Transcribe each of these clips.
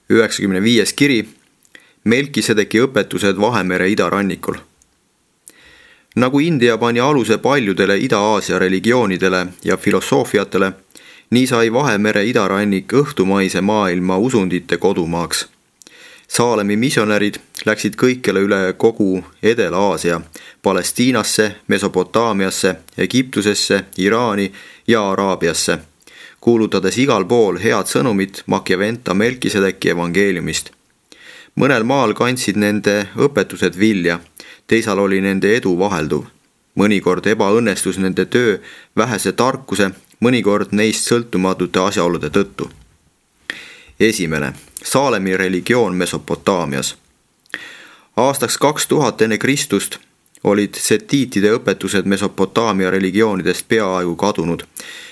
95. kiri Melkisedeki õpetused Vahemere idarannikul. Nagu India pani aluse paljudele Ida-Aasia religioonidele ja filosoofiatele, nii sai Vahemere idarannik õhtumaise maailma usundite kodumaaks. Saalemi missionärid läksid kõikjale üle kogu Edela-Aasia, Palestiinasse, Mesopotaamiasse, Egiptusesse, Iraani ja Araabiasse, kuulutades igal pool head sõnumit Machiaventa Melkisedeki evangeeliumist. Mõnel maal kandsid nende õpetused vilja, teisal oli nende edu vahelduv. Mõnikord ebaõnnestus nende töö vähese tarkuse, mõnikord neist sõltumatute asjaolude tõttu. 1. Saalemi religioon Mesopotaamias. Aastaks 2000 enne Kristust olid setiitide õpetused Mesopotaamia religioonidest peaaegu kadunud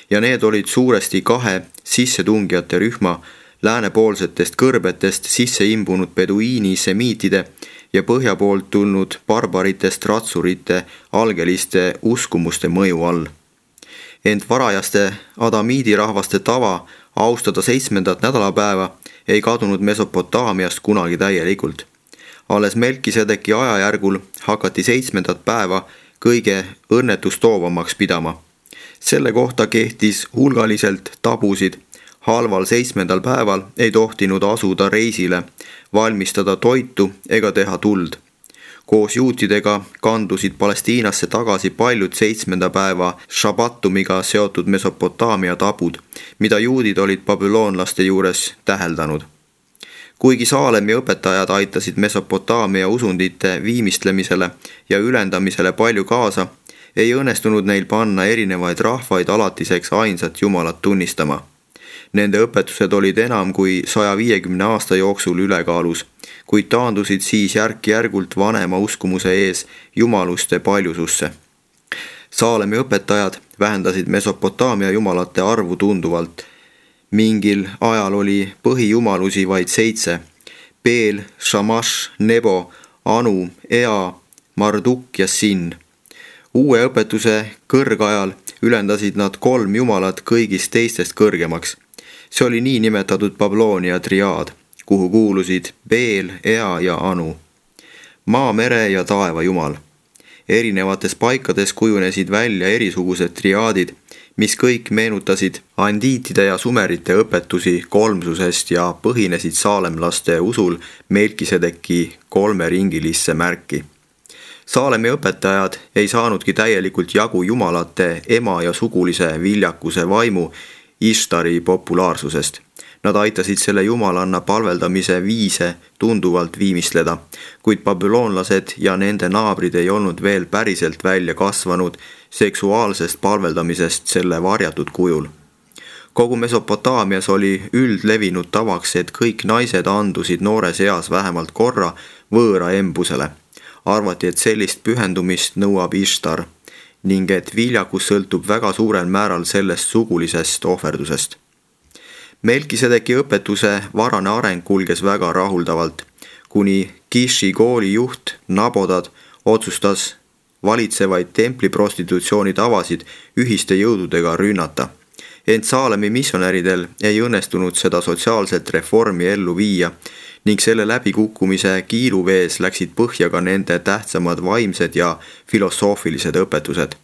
ja need olid suuresti 2 sissetungijate rühma läänepoolsetest kõrbetest sisse imbunud beduiini semiitide ja põhja poolt tulnud barbaritest ratsurite algeliste uskumuste mõju all. Ent varajaste adamiidi rahvaste tava austada 7. nädalapäeva ei kadunud Mesopotaamiast kunagi täielikult. Alles Melkisedeki ajajärgul hakati 7. päeva kõige õnnetustoovamaks pidama. Selle kohta kehtis hulgaliselt tabusid. Halval 7. päeval ei tohtinud asuda reisile, valmistada toitu ega teha tuld. Koos juutidega kandusid Palestiinasse tagasi paljud 7. päeva šabatumiga seotud Mesopotaamia tabud, mida juudid olid babüloonlaste juures täheldanud. Kuigi Saalemi õpetajad aitasid Mesopotaamia usundite viimistlemisele ja ülendamisele palju kaasa, ei õnnestunud neil panna erinevaid rahvaid alatiseks ainsat Jumalat tunnistama. Nende õpetused olid enam kui 150 aasta jooksul ülekaalus, kuid taandusid siis järk-järgult vanema uskumuse ees jumaluste paljususse. Saalemi õpetajad vähendasid Mesopotaamia jumalate arvu tunduvalt. Mingil ajal oli põhijumalusi vaid 7: Beel, Shamash, Nebo, Anu, Ea, Marduk ja Sin. Uue õpetuse kõrgajal ülendasid nad 3 jumalat kõigist teistest kõrgemaks. See oli nii nimetatud Babloonia triaad, kuhu kuulusid Beel, Ea ja Anu. Maa, mere ja taeva jumal. Erinevates paikades kujunesid välja erisugused triaadid, mis kõik meenutasid andiitide ja sumerite õpetusi kolmsusest ja põhinesid saalemlaste usul Melkisedeki 3-ringilisse märki. Saalemi õpetajad ei saanudki täielikult jagu jumalate ema ja sugulise viljakuse vaimu Ishtari populaarsusest. Nad aitasid selle jumalanna palveldamise viise tunduvalt viimistleda, kuid babüloonlased ja nende naabrid ei olnud veel päriselt välja kasvanud seksuaalsest palveldamisest selle varjatud kujul. Kogu Mesopotaamias oli üldlevinud tavaks, et kõik naised andusid noores eas vähemalt korra võõra embusele. Arvati, et sellist pühendumist nõuab Ishtar ning et viljakus sõltub väga suurel määral sellest sugulisest ohverdusest. Melkisedeki õpetuse varane areng kulges väga rahuldavalt, kuni Kishi kooli juht Nabodad otsustas valitsevaid templiprostitutsiooni tavasid ühiste jõududega rünnata. Ent Saalemi missionäridel ei õnnestunud seda sotsiaalset reformi ellu viia ning selle läbikukkumise kiiluvees läksid põhja ka nende tähtsamad vaimsed ja filosoofilised õpetused.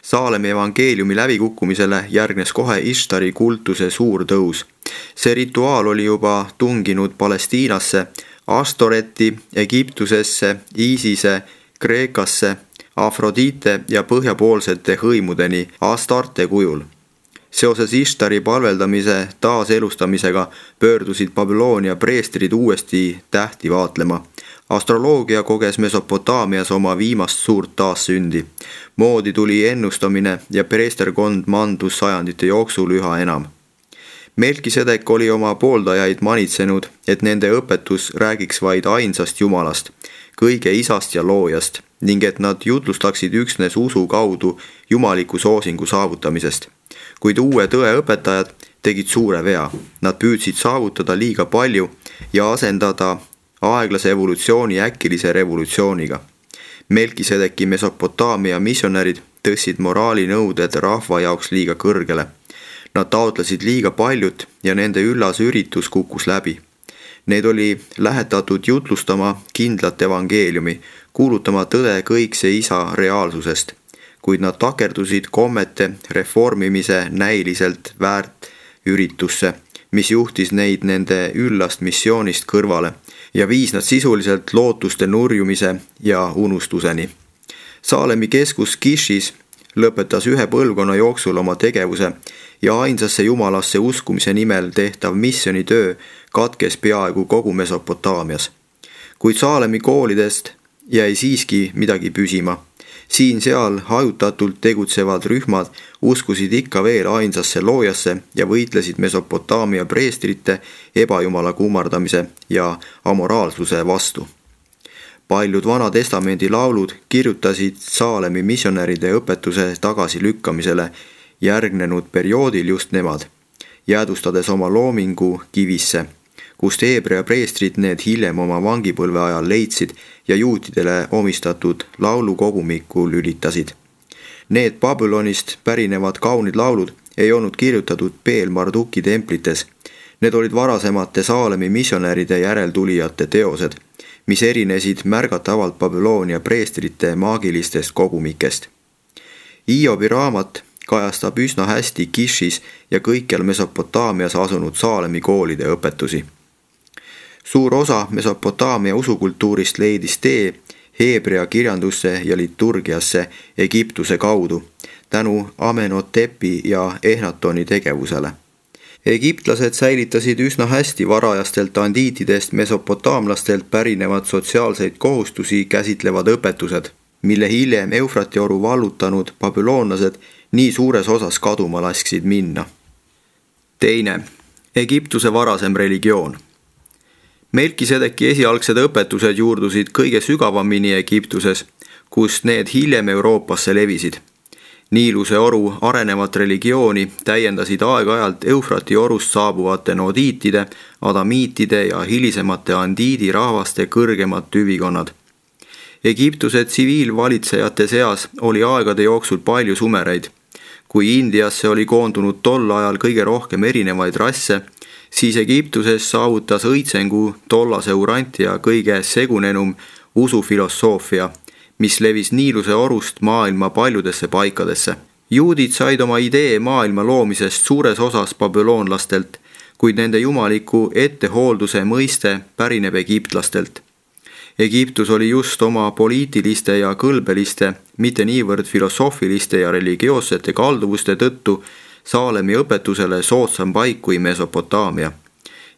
Saalemi evangeeliumi läbikukkumisele järgnes kohe Ishtari kultuse suur tõus. See rituaal oli juba tunginud Palestiinasse, Astoreti, Egiptusesse, Iisise, Kreekasse, Afrodite ja põhjapoolsete hõimudeni Astarte kujul. Seoses Ishtari palveldamise taaselustamisega pöördusid Babyloonia preestrid uuesti tähti vaatlema. Astroloogia koges Mesopotaamias oma viimast suurt taassündi. Moodi tuli ennustamine ja preesterkond mandus sajandite jooksul üha enam. Melkisedek oli oma pooldajaid manitsenud, et nende õpetus räägiks vaid ainsast Jumalast, kõige isast ja loojast, ning et nad jutlustaksid üksnes usu kaudu jumaliku soosingu saavutamisest. Kuid uue tõe õpetajad tegid suure vea. Nad püüdsid saavutada liiga palju ja asendada aeglase evolutsiooni äkilise revolutsiooniga. Melkisedeki Mesopotaamia missionärid tõstsid moraalinõuded rahva jaoks liiga kõrgele. Nad taotlesid liiga paljut ja nende üllas üritus kukkus läbi. Neid oli lähetatud jutlustama kindlat evangeeliumi, kuulutama tõde kõikse isa reaalsusest, kuid nad takerdusid kommete reformimise näiliselt väärt üritusse, mis juhtis neid nende üllast missioonist kõrvale ja viis nad sisuliselt lootuste nurjumise ja unustuseni. Saalemi keskus Kishis lõpetas ühe põlvkonna jooksul oma tegevuse ja ainsasse jumalasse uskumise nimel tehtav missionitöö katkes peaaegu kogu Mesopotaamias. Kuid Saalemi koolidest jäi siiski midagi püsima. Siin-seal hajutatult tegutsevad rühmad uskusid ikka veel ainsasse loojasse ja võitlesid Mesopotaamia preestrite ebajumala kummardamise ja amoraalsuse vastu. Paljud Vana Testamendi laulud kirjutasid Saalemi missionäride õpetuse tagasilükkamisele järgnenud perioodil just nemad, jäädustades oma loomingu kivisse, kust Heebrea preestrid need hiljem oma vangipõlve ajal leidsid ja juutidele omistatud laulukogumikku lülitasid. Need Babylonist pärinevad kaunid laulud ei olnud kirjutatud Beel-Marduki templites. Need olid varasemate Saalemi missionäride järeltulijate teosed, mis erinesid märgatavalt Babyloonia preestrite maagilistest kogumikest. Hiobi raamat kajastab üsna hästi Kishis ja kõikjal Mesopotaamias asunud Saalemi koolide õpetusi. Suur osa Mesopotaamia usukultuurist leidis tee Heebrea kirjandusse ja liturgiasse Egiptuse kaudu, tänu Amenhotepi ja Ehnatoni tegevusele. Egiptlased säilitasid üsna hästi varajastelt andiitidest mesopotaamlastelt pärinevad sotsiaalseid kohustusi käsitlevad õpetused, mille hiljem Eufrati oru vallutanud babüloonlased nii suures osas kaduma lasksid minna. Teine, Egiptuse varasem religioon. Melkisedeki esialgsed õpetused juurdusid kõige sügavamini Egiptuses, kust need hiljem Euroopasse levisid. Niiluse oru arenevat religiooni täiendasid aeg-ajalt Eufrati orust saabuvate nodiitide, adamiitide ja hilisemate andiidi rahvaste kõrgemad tüvikonnad. Egiptuse tsiviilvalitsejate seas oli aegade jooksul palju sumereid. Kui Indiasse oli koondunud tol ajal kõige rohkem erinevaid rasse, siis Egiptuses saavutas õitsengu tollase Urantia kõige segunenum usufilosoofia, mis levis Niiluse orust maailma paljudesse paikadesse. Juudid said oma idee maailma loomisest suures osas babüloonlastelt, kuid nende jumaliku ettehoolduse mõiste pärineb egiptlastelt. Egiptus oli just oma poliitiliste ja kõlbeliste, mitte niivõrd filosoofiliste ja religioossete kalduvuste tõttu Saalemi õpetusele soodsam paik kui Mesopotaamia.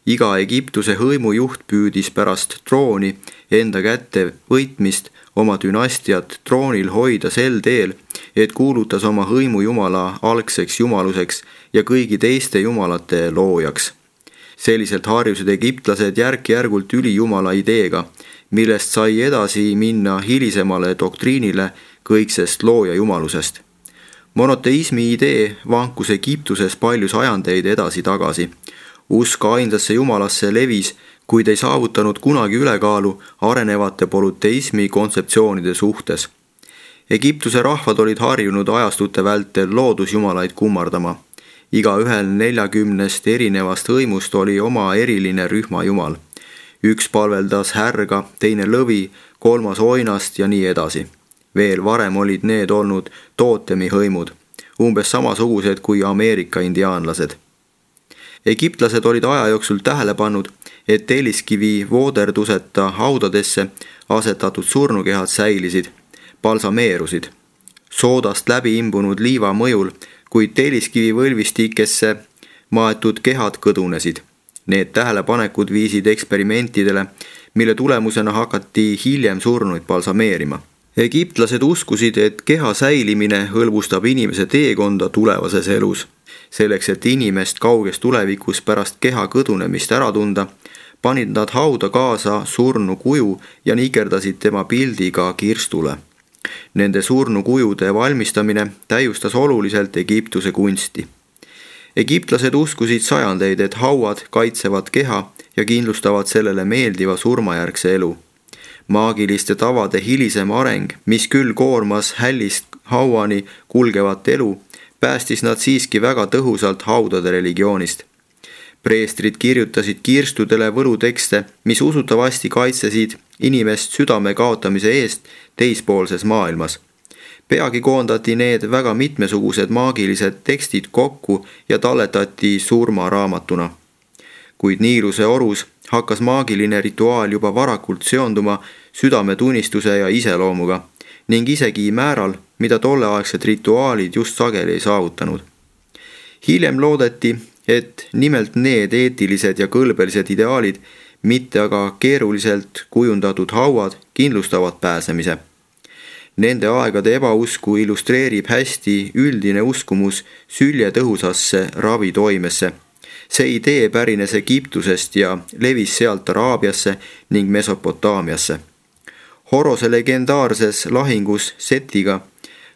Iga Egiptuse hõimujuht püüdis pärast trooni enda kätte võitmist oma dünastiat troonil hoida sel teel, et kuulutas oma hõimujumala algseks jumaluseks ja kõigi teiste jumalate loojaks. Selliselt harjusid egiptlased järk-järgult ülijumala ideega, millest sai edasi minna hilisemale doktriinile kõiksest looja jumalusest. Monoteismi idee vankus Egiptuses palju sajandeid edasi-tagasi. Usk ainsasse jumalasse levis, kuid ei saavutanud kunagi ülekaalu arenevate polüteismi kontseptsioonide suhtes. Egiptuse rahvad olid harjunud ajastute vältel loodusjumalaid kummardama. Igaühel 40 erinevast hõimust oli oma eriline rühmajumal. Üks palveldas härga, teine lõvi, kolmas oinast ja nii edasi. Veel varem olid need olnud tootemi hõimud, umbes samasugused kui Ameerika indiaanlased. Egiptlased olid aja jooksul tähele pannud, et telliskivi vooderduseta haudadesse asetatud surnukehad säilisid, balsameerusid. Soodast läbi imbunud liiva mõjul, kuid telliskivi võlvistikesse maetud kehad kõdunesid. Need tähelepanekud viisid eksperimentidele, mille tulemusena hakati hiljem surnuid balsameerima. Egiptlased uskusid, et keha säilimine hõlbustab inimese teekonda tulevases elus. Selleks, et inimest kauges tulevikus pärast keha kõdunemist ära tunda, panid nad hauda kaasa surnu kuju ja nikerdasid tema pildiga kirstule. Nende surnu kujude valmistamine täiustas oluliselt Egiptuse kunsti. Egiptlased uskusid sajandeid, et hauad kaitsevad keha ja kindlustavad sellele meeldiva surmajärgse elu. Maagiliste tavade hilisem areng, mis küll koormas hällist hauani kulgevat elu, päästis nad siiski väga tõhusalt haudade religioonist. preestrid kirjutasid kirstudele võlutekste, mis usutavasti kaitsesid inimest südame kaotamise eest teispoolses maailmas. Peagi koondati need väga mitmesugused maagilised tekstid kokku ja talletati surmaraamatuna. Kuid Niiluse orus hakkas maagiline rituaal juba varakult seonduma südametunnistuse ja iseloomuga ning isegi määral, mida tolleaegsed rituaalid just sageli ei saavutanud. Hiljem loodeti, et nimelt need eetilised ja kõlbelised ideaalid, mitte aga keeruliselt kujundatud hauad, kindlustavad pääsemise. Nende aegade ebausku illustreerib hästi üldine uskumus süljetõhusasse ravitoimesse. See idee pärines Egiptusest ja levis sealt Araabiasse ning Mesopotaamiasse. Horose legendaarses lahingus Setiga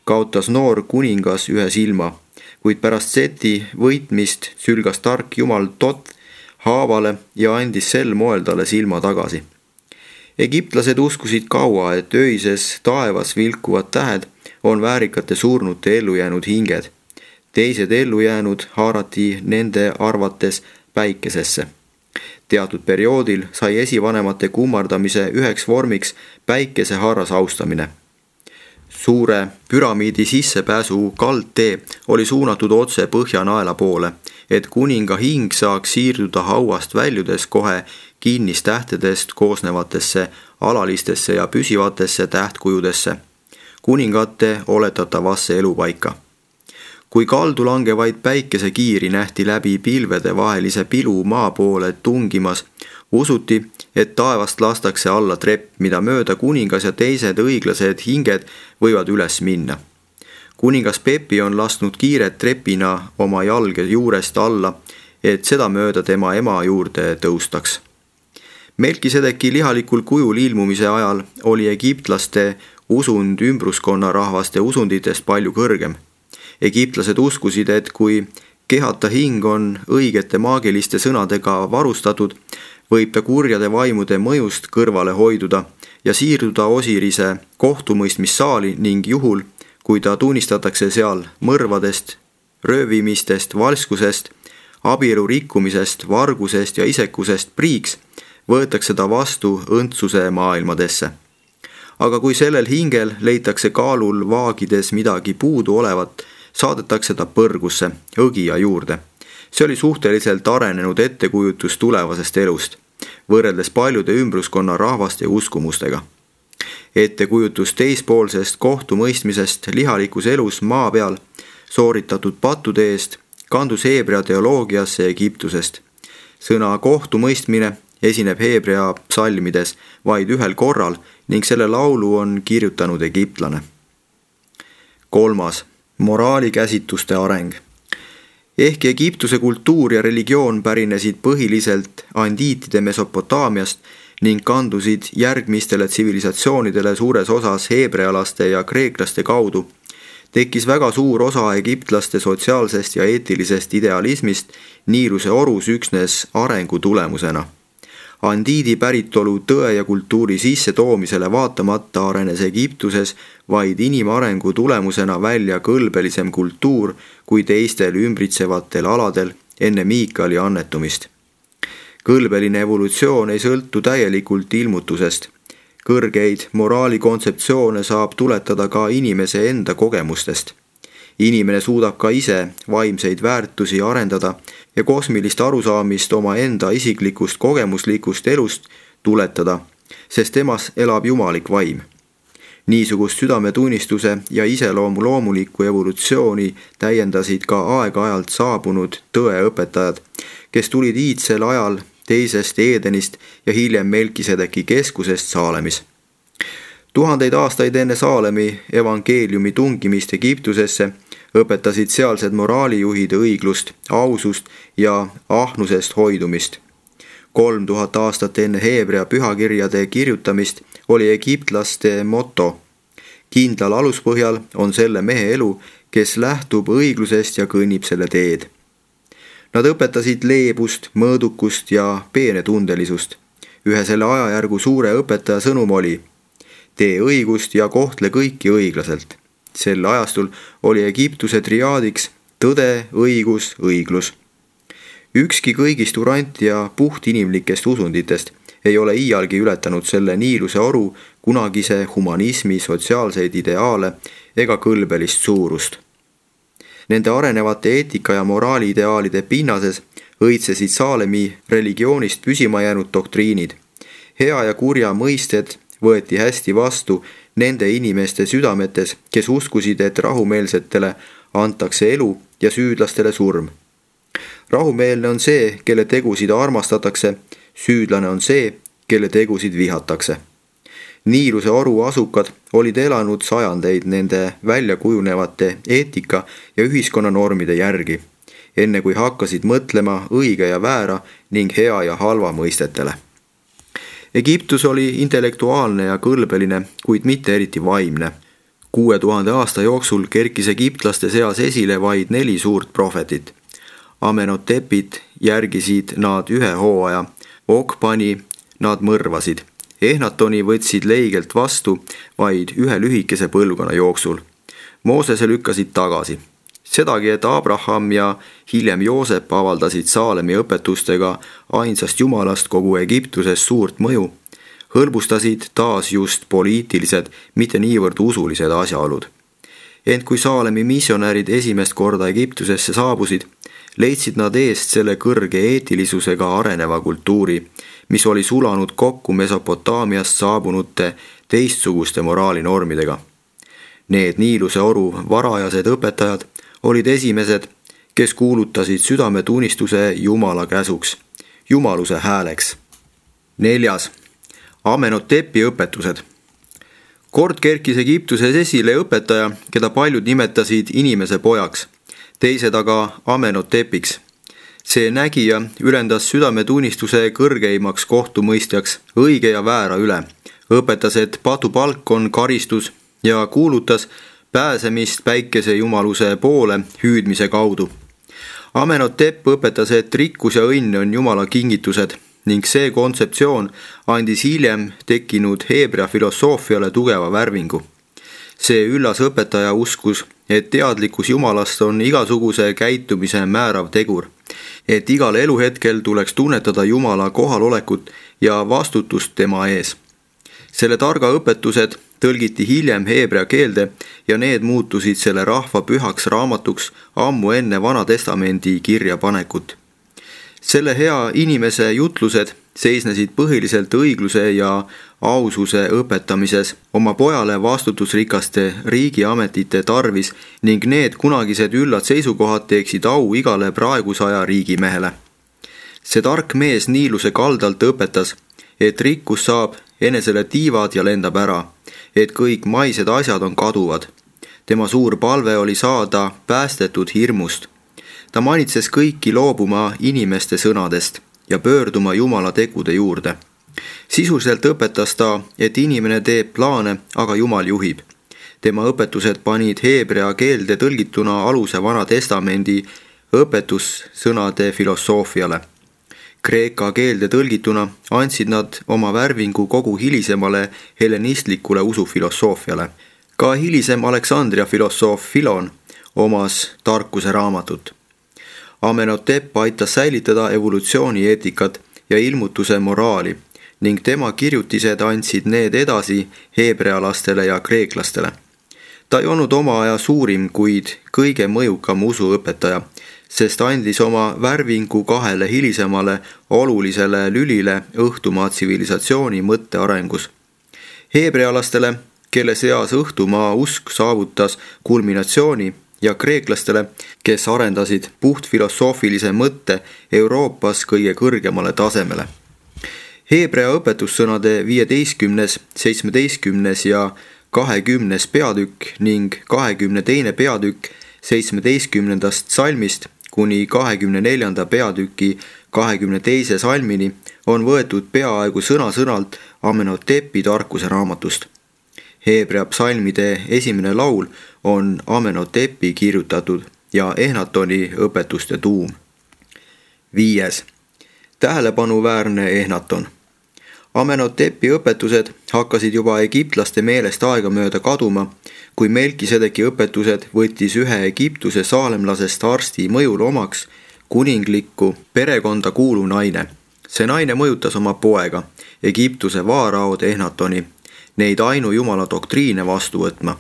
kaotas noor kuningas ühe silma, kuid pärast Seti võitmist sülgas tark jumal Tot haavale ja andis sel moel talle silma tagasi. Egiptlased uskusid kaua, et öises taevas vilkuvad tähed on väärikate surnute ellujäänud hinged. Teised ellujäänud haarati nende arvates päikesesse. Teatud perioodil sai esivanemate kummardamise üheks vormiks päikesehaaras austamine. Suure püramiidi sissepääsu kaldtee oli suunatud otse Põhjanaela poole, et kuninga hing saaks siirduda hauast väljudes kohe kinnistähtedest koosnevatesse alalistesse ja püsivatesse tähtkujudesse, kuningate oletatavasse elupaika. Kui kaldu langevaid päikesekiiri nähti läbi pilvede vahelise pilu maa poole tungimas, usuti, et taevast lastakse alla trepp, mida mööda kuningas ja teised õiglased hinged võivad üles minna. Kuningas Pepi on lasknud kiiret trepina oma jalge juurest alla, et seda mööda tema ema juurde tõustaks. Melkisedeki lihalikul kujul ilmumise ajal oli egiptlaste usund ümbruskonna rahvaste usunditest palju kõrgem. Egiptlased uskusid, et kui kehata hing on õigete maagiliste sõnadega varustatud, võib ta kurjade vaimude mõjust kõrvale hoiduda ja siirduda Osirise kohtumõistmissaali ning juhul, kui ta tunnistatakse seal mõrvadest, röövimistest, valskusest, abielu rikkumisest, vargusest ja isekusest priiks, võetakse ta vastu õndsuse maailmadesse. Aga kui sellel hingel leitakse kaalul vaagides midagi puudu olevat, saadetakse ta põrgusse, õgija juurde. See oli suhteliselt arenenud ettekujutus tulevasest elust, võrreldes paljude ümbruskonna rahvaste uskumustega. Ettekujutus teispoolsest kohtumõistmisest lihalikus elus maa peal sooritatud pattude eest kandus heebrea teoloogiasse Egiptusest. Sõna kohtumõistmine esineb heebrea psalmides vaid ühel korral ning selle laulu on kirjutanud egiptlane. 3. Moraalikäsituste areng. Ehkki Egiptuse kultuur ja religioon pärinesid põhiliselt andiitide Mesopotaamiast ning kandusid järgmistele tsivilisatsioonidele suures osas heebrealaste ja kreeklaste kaudu, tekkis väga suur osa egiptlaste sotsiaalsest ja eetilisest idealismist Niiluse orus üksnes arengu tulemusena. Andiidi päritolu tõe ja kultuuri sissetoomisele vaatamata arenes Egiptuses vaid inimarengu tulemusena välja kõlbelisem kultuur kui teistel ümbritsevatel aladel enne Miikali annetumist. Kõlbeline evolutsioon ei sõltu täielikult ilmutusest. Kõrgeid moraalikontseptsioone saab tuletada ka inimese enda kogemustest. Inimene suudab ka ise vaimseid väärtusi arendada ja kosmilist arusaamist oma enda isiklikust kogemuslikust elust tuletada, sest temas elab jumalik vaim. Niisugust südametunnistuse ja iseloomu loomulikku evolutsiooni täiendasid ka aeg-ajalt saabunud tõeõpetajad, kes tulid iidsel ajal teisest Eedenist ja hiljem Melkisedeki keskusest Saalemis. 1000 aastaid enne Saalemi evangeeliumi tungimist Egiptusesse õpetasid sealsed moraalijuhid õiglust, ausust ja ahnusest hoidumist. 3000 aastat enne heebrea pühakirjade kirjutamist oli egiptlaste moto: kindlal aluspõhjal on selle mehe elu, kes lähtub õiglusest ja kõnnib selle teed. Nad õpetasid leebust, mõõdukust ja peenetundelisust. Ühe selle ajajärgu suure õpetaja sõnum oli: tee õigust ja kohtle kõiki õiglaselt. Sel ajastul oli Egiptuse triaadiks tõde, õigus, õiglus. Ükski kõigist urant ja puhtinimlikest usunditest ei ole iialgi ületanud selle Niiluse oru kunagise humanismi sotsiaalseid ideaale ega kõlbelist suurust. Nende arenevate eetika- ja moraaliideaalide pinnases õitsesid Saalemi religioonist püsima jäänud doktriinid. Hea ja kurja mõisted võeti hästi vastu nende inimeste südametes, kes uskusid, et rahumeelsetele antakse elu ja süüdlastele surm. Rahumeelne on see, kelle tegusid armastatakse, süüdlane on see, kelle tegusid vihatakse. Niiluse oru asukad olid elanud sajandeid nende väljakujunevate eetika- ja ühiskonnanormide järgi, enne kui hakkasid mõtlema õige ja väära ning hea ja halva mõistetele. Egiptus oli intellektuaalne ja kõlbeline, kuid mitte eriti vaimne. 6000 aasta jooksul kerkis egiptlaste seas esile vaid 4 suurt prohvetit. Amenhotepit järgisid nad 1 hooaja, Okpani nad mõrvasid. Ehnatoni võtsid leigelt vastu vaid 1 lühikese põlvkonna jooksul. Moosese lükkasid tagasi. Sedagi, et Abraham ja hiljem Joosep avaldasid Saalemi õpetustega ainsast jumalast kogu Egiptuses suurt mõju, hõlbustasid taas just poliitilised, mitte niivõrd usulised asjaolud. Ent kui Saalemi missionärid esimest korda Egiptusesse saabusid, leidsid nad eest selle kõrge eetilisusega areneva kultuuri, mis oli sulanud kokku Mesopotaamiast saabunute teistsuguste moraalinormidega. Need Niiluse oru varajased õpetajad olid esimesed, kes kuulutasid südametunnistuse Jumala käsuks, jumaluse hääleks. 4. Amenhotepi õpetused. Kord kerkis Egiptuses esile õpetaja, keda paljud nimetasid inimese pojaks, teised aga Amenhotepiks. See nägija ülendas südametunnistuse kõrgeimaks kohtumõistjaks õige ja väära üle, õpetas, et patupalk on karistus ja kuulutas pääsemist päikese jumaluse poole hüüdmise kaudu. Amenhotep õpetas, et rikkus ja õnn on Jumala kingitused ning see kontseptsioon andis hiljem tekkinud heebrea filosoofiale tugeva värvingu. See üllas õpetaja uskus, et teadlikkus Jumalast on igasuguse käitumise määrav tegur, et igal eluhetkel tuleks tunnetada Jumala kohalolekut ja vastutust tema ees. Selle targa õpetused tõlgiti hiljem heebrea keelde ja need muutusid selle rahva pühaks raamatuks ammu enne Vana Testamendi kirjapanekut. Selle hea inimese jutlused seisnesid põhiliselt õigluse ja aususe õpetamises, oma pojale vastutusrikaste riigiametite tarvis ning need kunagised üllad seisukohad teeksid au igale praegusaja riigimehele. See tark mees Niiluse kaldalt õpetas, et rikkus saab enesele tiivad ja lendab ära, et kõik maised asjad on kaduvad. Tema suur palve oli saada päästetud hirmust. Ta manitses kõiki loobuma inimeste sõnadest ja pöörduma Jumala tegude juurde. Sisuliselt õpetas ta, et inimene teeb plaane, aga Jumal juhib. Tema õpetused panid heebrea keelde tõlgituna aluse Vana Testamendi õpetussõnade filosoofiale. Kreeka keelde tõlgituna andsid nad oma värvingu kogu hilisemale hellenistlikule usufilosoofiale. Ka hilisem Aleksandria filosoof Filon omas tarkuse raamatut. Amenhotep aitas säilitada evolutsioonieetikat ja ilmutuse moraali ning tema kirjutised andsid need edasi heebrealastele ja kreeklastele. Ta ei olnud oma aja suurim, kuid kõige mõjukam usuõpetaja, sest andis oma värvingu 2 hilisemale olulisele lülile õhtumaa tsivilisatsiooni mõttearengus. Heebrealastele, kelle seas õhtumaa usk saavutas kulminatsiooni, ja kreeklastele, kes arendasid puhtfilosoofilise mõtte Euroopas kõige kõrgemale tasemele. Heebrea õpetussõnade 15., 17. ja 20. peatükk ning 22. peatükk 17. salmist kuni 24. peatüki 22. salmini on võetud peaaegu sõna-sõnalt Amenhotepi tarkuse raamatust. Heebrea psalmide esimene laul on Amenhotepi kirjutatud ja Ehnatoni õpetuste tuum. 5. Tähelepanuväärne Ehnaton. Amenhotepi õpetused hakkasid juba egiptlaste meelest aegamööda kaduma, kui Melkisedeki õpetused võttis ühe Egiptuse saalemlasest arsti mõjul omaks, kuninglikku perekonda kuuluv naine. See naine mõjutas oma poega, Egiptuse vaaraod Ehnatoni, neid ainujumala doktriine vastu võtma.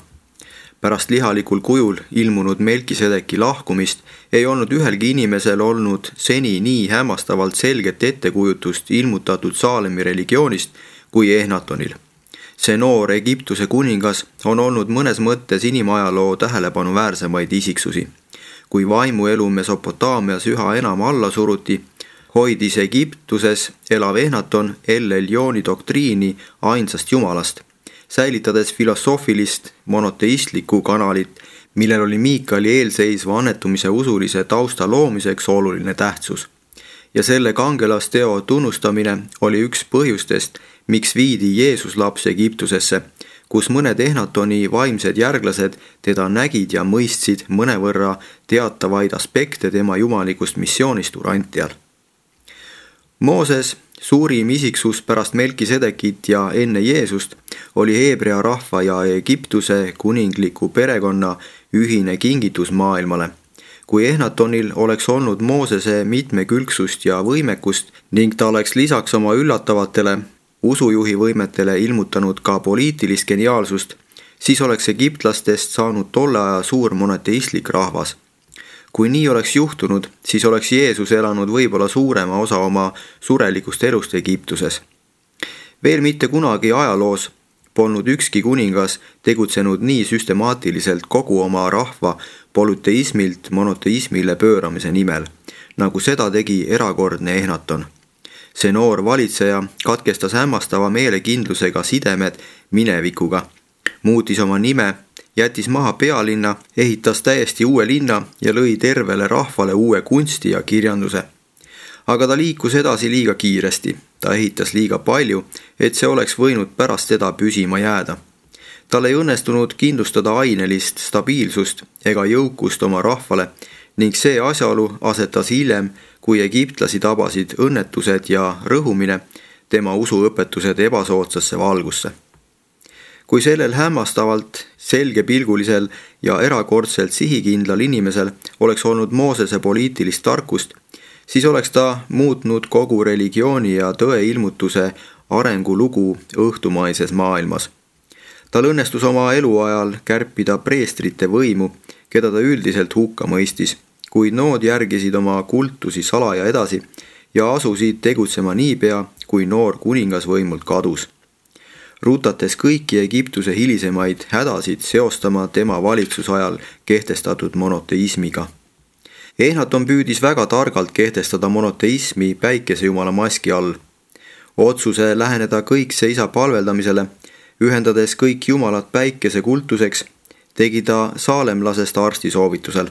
Pärast lihalikul kujul ilmunud Melkisedeki lahkumist ei olnud ühelgi inimesel olnud seni nii hämmastavalt selget ettekujutust ilmutatud Saalemi religioonist kui Ehnatonil. See noor Egiptuse kuningas on olnud mõnes mõttes inimajaloo tähelepanuväärsemaid isiksusi. Kui vaimuelu Mesopotaamias üha enam alla suruti, hoidis Egiptuses elav Ehnaton El-Elioni doktriini ainsast jumalast, säilitades filosoofilist monoteistlikku kanalit, millel oli Miikali eelseisva annetumise usulise tausta loomiseks oluline tähtsus. Ja selle kangelasteo tunnustamine oli üks põhjustest, miks viidi Jeesus laps Egiptusesse, kus mõned Ehnatoni vaimsed järglased teda nägid ja mõistsid mõnevõrra teatavaid aspekte tema jumalikust missioonist Urantial. Mooses, suurim isiksus pärast Melkisedekit ja enne Jeesust, oli Heebrea rahva ja Egiptuse kuningliku perekonna ühine kingitus maailmale. Kui Ehnatonil oleks olnud Moosese mitmekülgsust ja võimekust ning ta oleks lisaks oma üllatavatele usujuhi võimetele ilmutanud ka poliitilist geniaalsust, siis oleks egiptlastest saanud tolle aja suur monoteistlik rahvas. Kui nii oleks juhtunud, siis oleks Jeesus elanud võib-olla suurema osa oma surelikust elust Egiptuses. Veel mitte kunagi ajaloos polnud ükski kuningas tegutsenud nii süstemaatiliselt kogu oma rahva polüteismilt monoteismile pööramise nimel, nagu seda tegi erakordne Ehnaton. See noor valitseja katkestas hämmastava meelekindlusega sidemed minevikuga, muutis oma nime, jättis maha pealinna, ehitas täiesti uue linna ja lõi tervele rahvale uue kunsti ja kirjanduse. Aga ta liikus edasi liiga kiiresti, ta ehitas liiga palju, et see oleks võinud pärast teda püsima jääda. Tal ei õnnestunud kindlustada ainelist stabiilsust ega jõukust oma rahvale ning see asjaolu asetas hiljem, kui egiptlasi tabasid õnnetused ja rõhumine, tema usuõpetused ebasoodsasse valgusse. Kui sellel hämmastavalt selgepilgulisel ja erakordselt sihikindlal inimesel oleks olnud Moosese poliitilist tarkust, siis oleks ta muutnud kogu religiooni ja tõe ilmutuse arengulugu õhtumaises maailmas. Tal õnnestus oma eluajal kärpida preestrite võimu, keda ta üldiselt hukka mõistis, kuid nood järgisid oma kultusi salaja edasi ja asusid tegutsema niipea, kui noor kuningas võimult kadus. Rutates kõiki Egiptuse hilisemaid hädasid seostama tema valitsusajal kehtestatud monoteismiga. Ehnaton püüdis väga targalt kehtestada monoteismi päikesejumala maski all. Otsuse läheneda kõikse isa palveldamisele, ühendades kõik jumalad päikese kultuseks, tegi ta saalemlasest arsti soovitusel.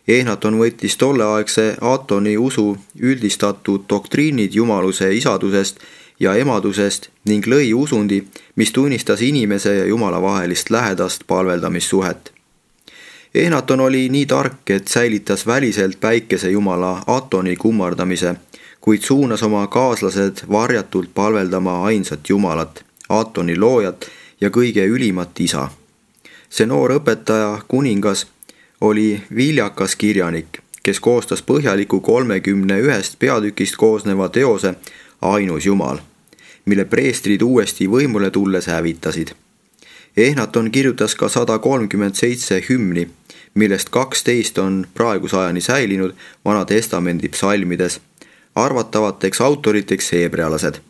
Ehnaton võttis tolleaegse Atoni usu üldistatud doktriinid jumaluse isadusest ja emadusest ning lõi usundi, mis tunnistas inimese ja jumala vahelist lähedast palveldamissuhet. Ehnaton oli nii tark, et säilitas väliselt päikese jumala Atoni kummardamise, kuid suunas oma kaaslased varjatult palveldama ainsat jumalat, Atoni loojat ja kõige ülimat isa. See noor õpetaja kuningas oli viljakas kirjanik, kes koostas põhjaliku 31 peatükist koosneva teose Ainus Jumal, mille preestrid uuesti võimule tulles hävitasid. Ehnaton kirjutas ka 137 hümni, millest 12 on praegusajani säilinud Vana Testamendi psalmides, arvatavateks autoriteks heebrealased.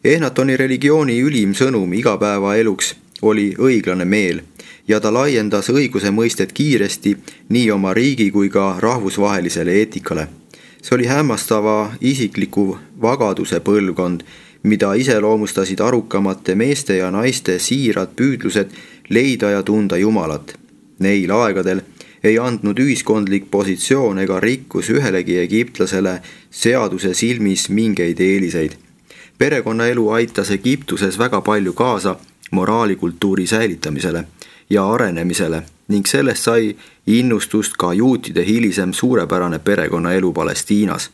Ehnatoni religiooni ülim sõnum igapäevaeluks oli õiglane meel ja ta laiendas õiguse mõistet kiiresti nii oma riigi kui ka rahvusvahelisele eetikale. See oli hämmastava isikliku vagaduse põlvkond, mida iseloomustasid arukamate meeste ja naiste siirad püüdlused leida ja tunda Jumalat. Neil aegadel ei andnud ühiskondlik positsioon ega rikkus ühelegi egiptlasele seaduse silmis mingeid eeliseid. Perekonnaelu aitas Egiptuses väga palju kaasa moraalikultuuri säilitamisele ja arenemisele ning sellest sai innustust ka juutide hilisem suurepärane perekonnaelu Palestiinas.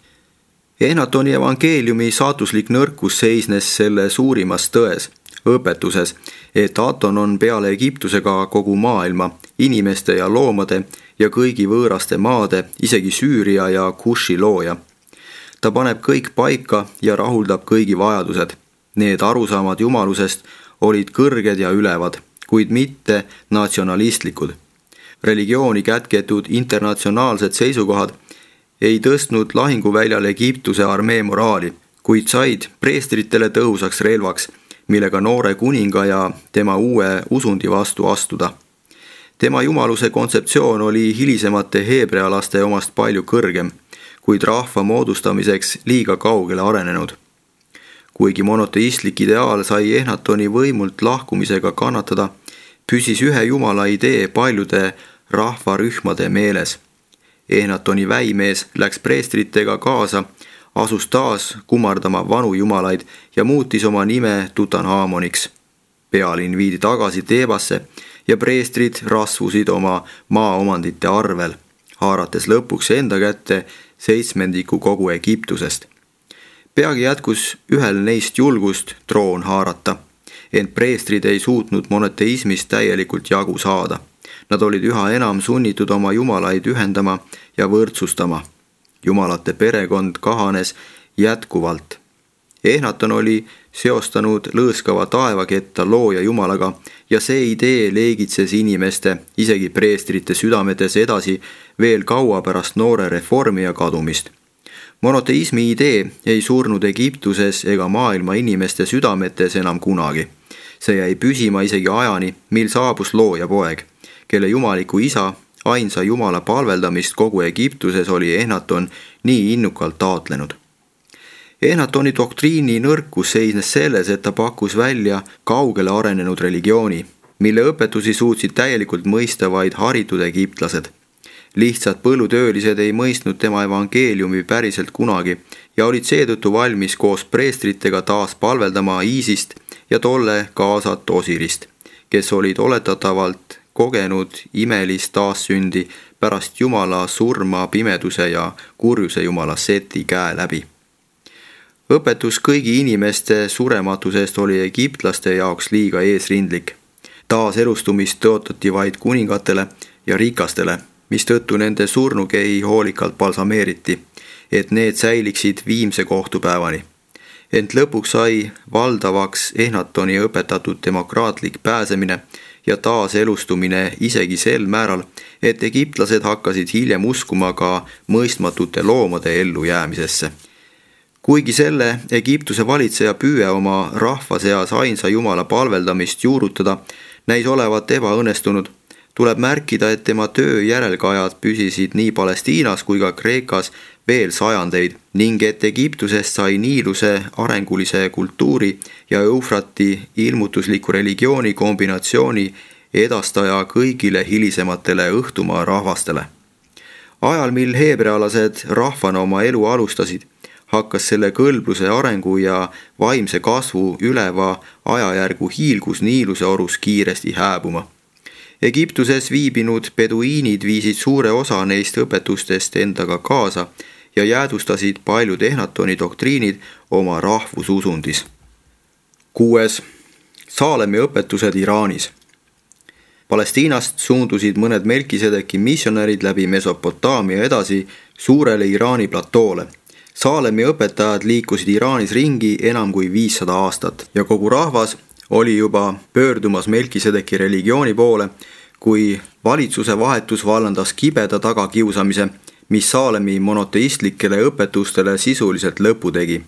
Ehnatoni evangeeliumi saatuslik nõrkus seisnes selle suurimas tões, õpetuses, et Aton on peale Egiptusega kogu maailma, inimeste ja loomade ja kõigi võõraste maade, isegi Süüria ja Kuši looja. Ta paneb kõik paika ja rahuldab kõigi vajadused. Need arusaamad jumalusest olid kõrged ja ülevad, kuid mitte natsionalistlikud. Religiooni kätketud internatsionaalsed seisukohad ei tõstnud lahinguväljal Egiptuse armee moraali, kuid said preestritele tõhusaks relvaks, millega noore kuninga ja tema uue usundi vastu astuda. Tema jumaluse kontseptsioon oli hilisemate heebrealaste omast palju kõrgem, kuid rahva moodustamiseks liiga kaugele arenenud. Kuigi monoteistlik ideaal sai Ehnatoni võimult lahkumisega kannatada, püsis ühe jumala idee paljude rahvarühmade meeles. Ehnatoni väimees läks preestritega kaasa, asus taas kummardama vanu jumalaid ja muutis oma nime Tutanhamoniks. Pealinn viidi tagasi Teebasse ja preestrid rasvusid oma maaomandite arvel, haarates lõpuks enda kätte 7% kogu Egiptusest. Peagi jätkus ühel neist julgust troon haarata, ent preestrid ei suutnud monoteismist täielikult jagu saada. Nad olid üha enam sunnitud oma jumalaid ühendama ja võrdsustama. Jumalate perekond kahanes jätkuvalt. Ehnaton oli seostanud lõõskava taevaketta looja jumalaga ja see idee leegitses inimeste, isegi preestrite südametes edasi veel kaua pärast noore reformija kadumist. Monoteismi idee ei surnud Egiptuses ega maailma inimeste südametes enam kunagi. See jäi püsima isegi ajani, mil saabus looja poeg, kelle jumaliku isa, ainsa jumala palveldamist kogu Egiptuses oli Ehnaton nii innukalt taotlenud. Ehnatoni doktriini nõrkus seisnes selles, et ta pakkus välja kaugele arenenud religiooni, mille õpetusi suutsid täielikult mõista vaid haritud egiptlased. Lihtsad põllutöölised ei mõistnud tema evangeeliumi päriselt kunagi ja olid seetõttu valmis koos preestritega taas palveldama Iisist ja tolle kaasat Osirist, kes olid oletatavalt kogenud imelist taassündi pärast jumala surma pimeduse ja kurjuse jumala Seti käe läbi. Õpetus kõigi inimeste surematusest oli egiptlaste jaoks liiga eesrindlik. Taaselustumist tõotati vaid kuningatele ja rikastele, mistõttu nende surnukehi hoolikalt balsameeriti, et need säiliksid viimse kohtupäevani. Ent lõpuks sai valdavaks Ehnatoni õpetatud demokraatlik pääsemine ja taaselustumine isegi sel määral, et egiptlased hakkasid hiljem uskuma ka mõistmatute loomade ellujäämisesse. Kuigi selle Egiptuse valitseja püüe oma rahva seas ainsa jumala palveldamist juurutada näis olevat ebaõnnestunud, tuleb märkida, et tema töö järelkajad püsisid nii Palestiinas kui ka Kreekas veel sajandeid ning et Egiptusest sai Niiluse arengulise kultuuri ja Eufrati ilmutusliku religiooni kombinatsiooni edastaja kõigile hilisematele õhtumaa rahvastele. Ajal, mil heebrealased rahvana oma elu alustasid, hakkas selle kõlbluse arengu ja vaimse kasvu üleva ajajärgu hiilgus Niiluse orus kiiresti hääbuma. Egiptuses viibinud peduiinid viisid suure osa neist õpetustest endaga kaasa ja jäädustasid paljud Ehnatoni doktriinid oma rahvususundis. 6. Saalemi õpetused Iraanis. Palestiinast suundusid mõned Melkisedeki missionärid läbi Mesopotaamia edasi suurele Iraani platoole. Saalemi õpetajad liikusid Iraanis ringi enam kui 500 aastat ja kogu rahvas oli juba pöördumas Melkisedeki religiooni poole, kui valitsuse vahetus vallandas kibeda tagakiusamise, mis Saalemi monoteistlikele õpetustele sisuliselt lõpu tegi.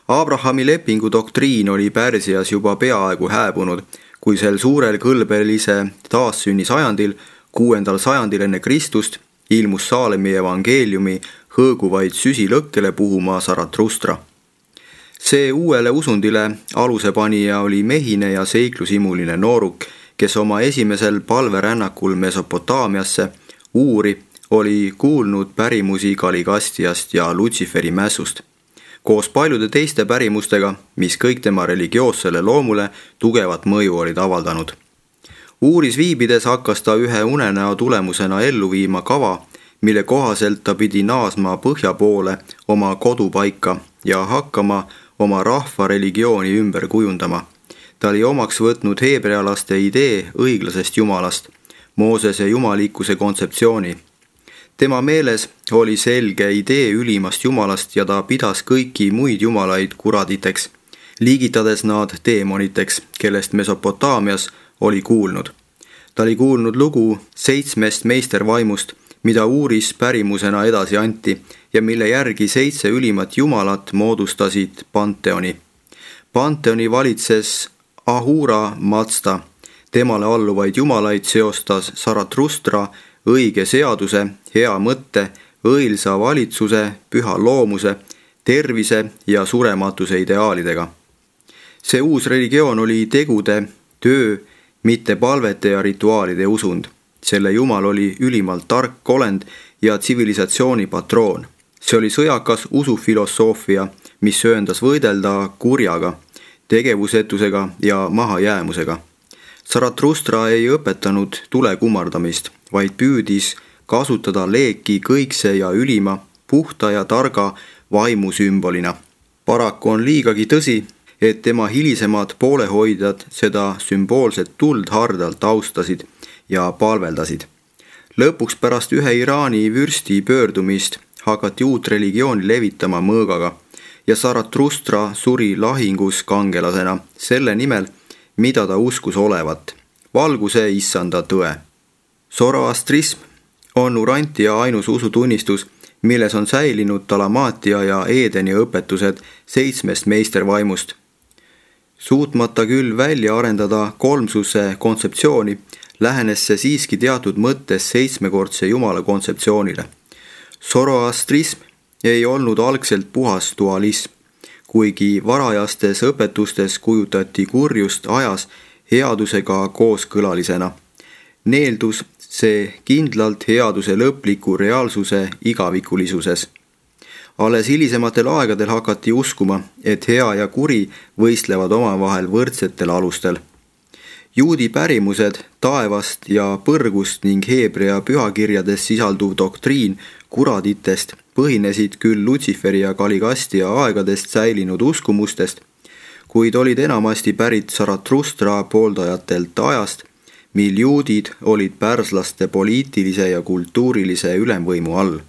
Abrahami lepingu doktriin oli Pärsias juba peaaegu hääbunud, kui sel suurel kõlbelise taassünni sajandil, 6. sajandil enne Kristust, ilmus Saalemi evangeeliumi hõõguvaid süsilõkkele puhuma Zarathustra. See uuele usundile alusepanija oli mehine ja seiklusimuline nooruk, kes oma esimesel palverännakul Mesopotaamiasse, Uuri, oli kuulnud pärimusi Kaligastiast ja Lutsiferi mässust, koos paljude teiste pärimustega, mis kõik tema religioossele loomule tugevat mõju olid avaldanud. Uuris viibides hakkas ta ühe unenäo tulemusena ellu viima kava, mille kohaselt ta pidi naasma põhja poole oma kodupaika ja hakkama oma rahva religiooni ümber kujundama. Ta oli omaks võtnud heebrealaste idee õiglasest jumalast, Moosese jumalikkuse kontseptsiooni Tema meeles oli selge idee ülimast jumalast ja ta pidas kõiki muid jumalaid kuraditeks, liigitades nad teemoniteks, kellest Mesopotaamias oli kuulnud. Ta oli kuulnud lugu 7 meistervaimust, mida uuris pärimusena edasi anti ja mille järgi 7 ülimat jumalat moodustasid Panteoni. Panteoni valitses Ahura Mazda. Temale alluvaid jumalaid seostas Zarathustra õige seaduse, hea mõtte, õilsa valitsuse, püha loomuse, tervise ja surematuse ideaalidega. See uus religioon oli tegude, töö, mitte palvete ja rituaalide usund. Selle jumal oli ülimalt tark olend ja tsivilisatsiooni patroon. See oli sõjakas usufilosoofia, mis sööndas võidelda kurjaga, tegevusetusega ja mahajäämusega. Zarathustra ei õpetanud tule kummardamist, vaid püüdis kasutada leeki kõikse ja ülima, puhta ja targa vaimu sümbolina. Paraku on liigagi tõsi, et tema hilisemad poolehoidjad seda sümboolset tuld hardalt austasid ja palveldasid. Lõpuks pärast ühe Iraani vürsti pöördumist hakati uut religiooni levitama mõõgaga ja Zarathustra suri lahingus kangelasena selle nimel, mida ta uskus olevat, valguse issanda tõe. Zoroastrism on Urantia ainus usutunnistus, milles on säilinud Talamaatia ja Eedeni õpetused 7 meistervaimust. Suutmata küll välja arendada kolmsuse kontseptsiooni, lähenes see siiski teatud mõttes 7-kordse jumala kontseptsioonile. Zoroastrism ei olnud algselt puhas dualism, kuigi varajastes õpetustes kujutati kurjust ajas headusega kooskõlalisena. Neeldus see kindlalt headuse lõpliku reaalsuse igavikulisuses. Alles hilisematel aegadel hakati uskuma, et hea ja kuri võistlevad omavahel võrdsetel alustel. Juudi pärimused taevast ja põrgust ning Heebrea pühakirjades sisalduv doktriin kuraditest põhinesid küll Lutsiferi ja Kaligastia aegadest säilinud uskumustest, kuid olid enamasti pärit Zarathustra pooldajatelt ajast, mil juudid olid pärslaste poliitilise ja kultuurilise ülemvõimu all.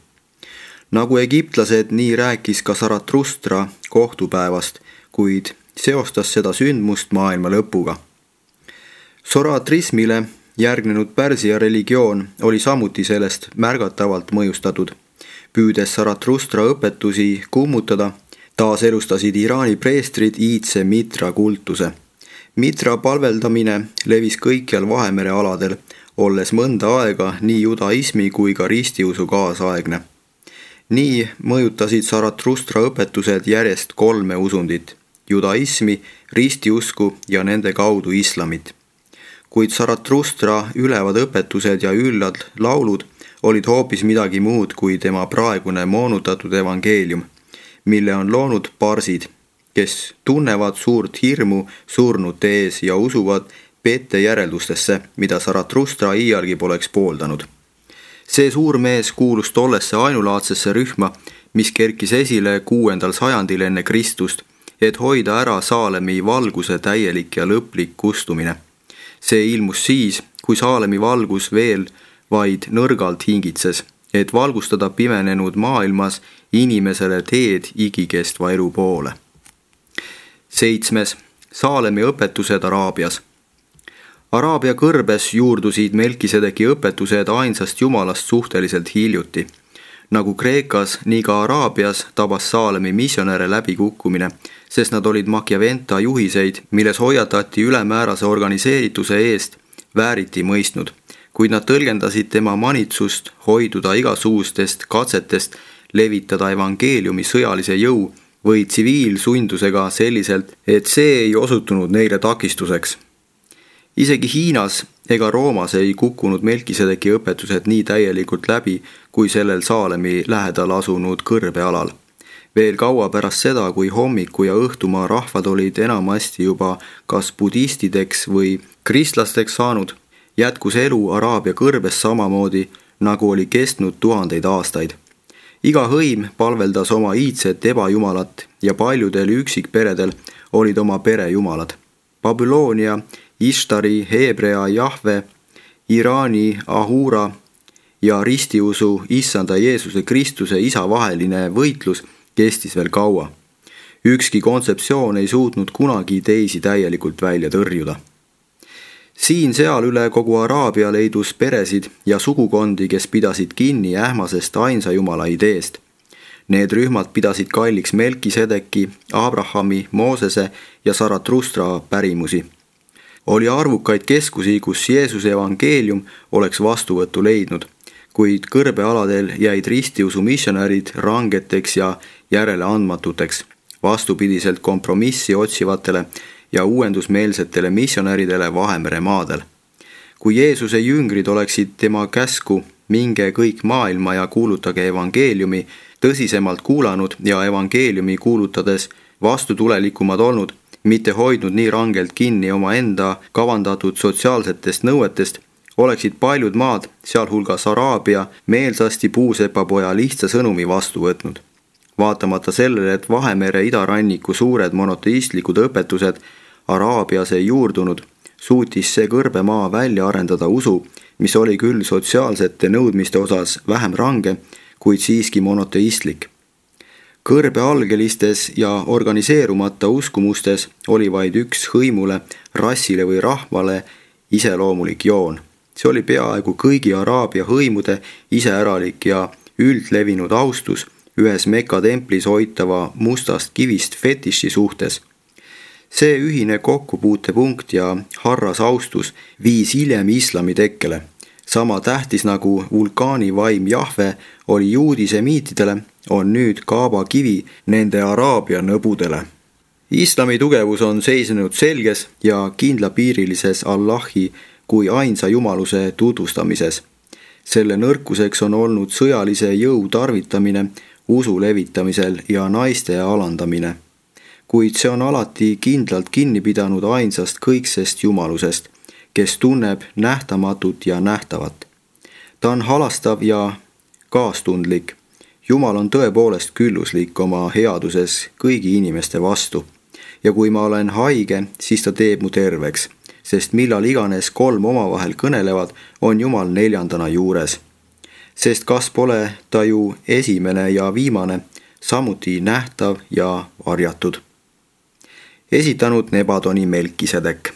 Nagu egiptlased, nii rääkis ka Zarathustra kohtupäevast, kuid seostas seda sündmust maailma lõpuga. Zoroastrismile järgnenud Pärsia religioon oli samuti sellest märgatavalt mõjustatud. Püüdes Zarathustra õpetusi kummutada, taaselustasid Iraani preestrid iidse Mitra kultuse. Mitra palveldamine levis kõikjal Vahemere aladel, olles mõnda aega nii judaismi kui ka ristiusu kaasaegne. Nii mõjutasid Zarathustra õpetused järjest 3 usundit, judaismi, ristiusku ja nende kaudu islamit. Kuid Zarathustra ülevad õpetused ja üllad laulud olid hoopis midagi muud kui tema praegune moonutatud evangeelium, mille on loonud parsid, kes tunnevad suurt hirmu surnute ees ja usuvad pete järeldustesse, mida Zarathustra iialgi poleks pooldanud. See suur mees kuulus tollesse ainulaadsesse rühma, mis kerkis esile 6. sajandil enne Kristust, et hoida ära Saalemi valguse täielik ja lõplik kustumine. See ilmus siis, kui Saalemi valgus veel vaid nõrgalt hingitses, et valgustada pimenenud maailmas inimesele teed igikestva elu poole. 7. Saalemi õpetused Araabias. Araabia kõrbes juurdusid Melkisedeki õpetused ainsast jumalast suhteliselt hiljuti. Nagu Kreekas, nii ka Araabias tabas Saalemi missionäre läbikukkumine, sest nad olid Machiaventa juhiseid, milles hoiatati ülemäärase organiseerituse eest, vääriti mõistnud, kuid nad tõlgendasid tema manitsust hoiduda igasugustest katsetest levitada evangeeliumi sõjalise jõu või tsiviilsundusega selliselt, et see ei osutunud neile takistuseks. Isegi Hiinas ega Roomas ei kukkunud Melkisedeki õpetused nii täielikult läbi kui sellel Saalemi lähedal asunud kõrbealal. Veel kaua pärast seda, kui hommiku ja õhtumaa rahvad olid enamasti juba kas budistideks või kristlasteks saanud, jätkus elu Araabia kõrbes samamoodi, nagu oli kestnud 1000 aastaid. Iga hõim palveldas oma iidset ebajumalat ja paljudel üksikperedel olid oma perejumalad. Babyloonia, Ishtari, Heebrea, Jahve, Iraani, Ahura ja ristiusu issanda Jeesuse Kristuse isa vaheline võitlus kestis veel kaua. Ükski kontseptsioon ei suutnud kunagi teisi täielikult välja tõrjuda. Siin-seal üle kogu Araabia leidus peresid ja sugukondi, kes pidasid kinni ähmasest ainsa jumala ideest. Need rühmad pidasid kalliks Melkisedeki, Abrahami, Moosese ja Zarathustra pärimusi. Oli arvukaid keskusi, kus Jeesuse evangeelium oleks vastuvõttu leidnud, kuid kõrbealadel jäid ristiusu missionärid rangeteks ja järeleandmatuteks, vastupidiselt kompromissi otsivatele ja uuendusmeelsetele missionäridele Vahemere maadel. Kui Jeesuse jüngrid oleksid tema käsku minge kõik maailma ja kuulutage evangeeliumi tõsisemalt kuulanud ja evangeeliumi kuulutades vastutulelikumad olnud, mitte hoidnud nii rangelt kinni omaenda kavandatud sotsiaalsetest nõuetest, oleksid paljud maad, sealhulgas Araabia, meelsasti puusepapoja lihtsa sõnumi vastu võtnud. Vaatamata sellele, et Vahemere idaranniku suured monoteistlikud õpetused Araabias ei juurdunud, suutis see kõrbemaa välja arendada usu, mis oli küll sotsiaalsete nõudmiste osas vähem range, kuid siiski monoteistlik. Kõrbealgelistes ja organiseerumata uskumustes oli vaid üks hõimule, rassile või rahvale iseloomulik joon. See oli peaaegu kõigi Araabia hõimude iseäralik ja üldlevinud austus ühes Mekka templis hoitava mustast kivist fetiši suhtes. See ühine kokkupuutepunkt ja harras austus viis hiljem islami tekkele. Sama tähtis nagu vulkaani vaim Jahve oli juudisemiitidele, on nüüd Kaaba kivi nende Araabia nõbudele. Islami tugevus on seisnenud selges ja kindlapiirilises Allahi kui ainsa jumaluse tutvustamises. Selle nõrkuseks on olnud sõjalise jõu tarvitamine usu levitamisel ja naiste alandamine. Kuid see on alati kindlalt kinni pidanud ainsast kõiksest jumalusest, kes tunneb nähtamatut ja nähtavat. Ta on halastav ja kaastundlik. Jumal on tõepoolest külluslik oma headuses kõigi inimeste vastu. Ja kui ma olen haige, siis ta teeb mu terveks, sest millal iganes 3 omavahel kõnelevad, on Jumal 4. juures. Sest kas pole ta ju esimene ja viimane, samuti nähtav ja varjatud. Esitanud Nebadoni Melkisedek.